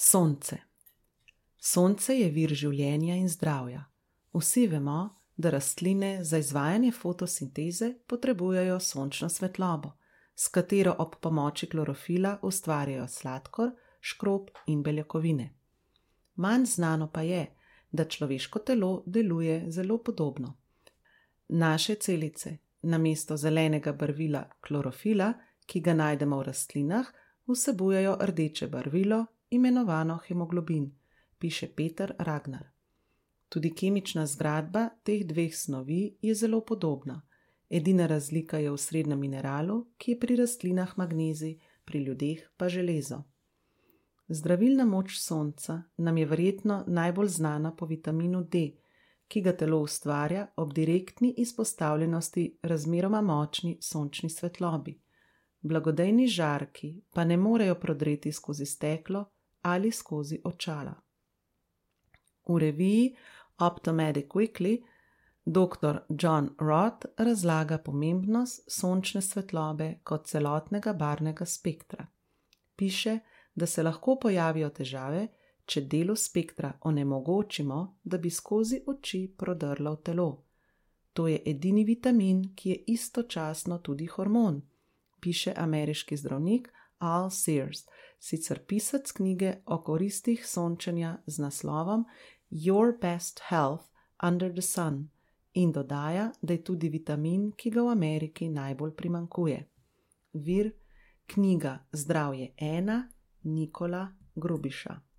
Sonce. Sonce je vir življenja in zdravja. Vsi vemo, da rastline za izvajanje fotosinteze potrebujejo sončno svetlobo, s katero ob pomoči klorofila ustvarjajo sladkor, škrob in beljakovine. Manj znano pa je, da človeško telo deluje zelo podobno. Naše celice namesto zelenega barvila klorofila, ki ga najdemo v rastlinah, vsebujejo rdeče barvilo, imenovano hemoglobin, piše Peter Ragnar. Tudi kemična zgradba teh dveh snovi je zelo podobna. Edina razlika je v srednjem mineralu, ki je pri rastlinah magnezij, pri ljudeh pa železo. Zdravilna moč sonca nam je verjetno najbolj znana po vitaminu D, ki ga telo ustvarja ob direktni izpostavljenosti razmeroma močni sončni svetlobi. Blagodejni žarki pa ne morejo prodreti skozi steklo ali skozi očala. V reviji Optometric Weekly dr. John Roth razlaga pomembnost sončne svetlobe kot celotnega barvnega spektra. Piše, da se lahko pojavijo težave, če delu spektra onemogočimo, da bi skozi oči prodrlo v telo. To je edini vitamin, ki je istočasno tudi hormon, piše ameriški zdravnik Al Sears, sicer pisec knjige o koristih sončenja z naslovom Your Best Health Under the Sun in dodaja, da je tudi vitamin, ki ga v Ameriki najbolj primanjkuje. Vir: knjiga Zdravje 1, Nikola Grubiša.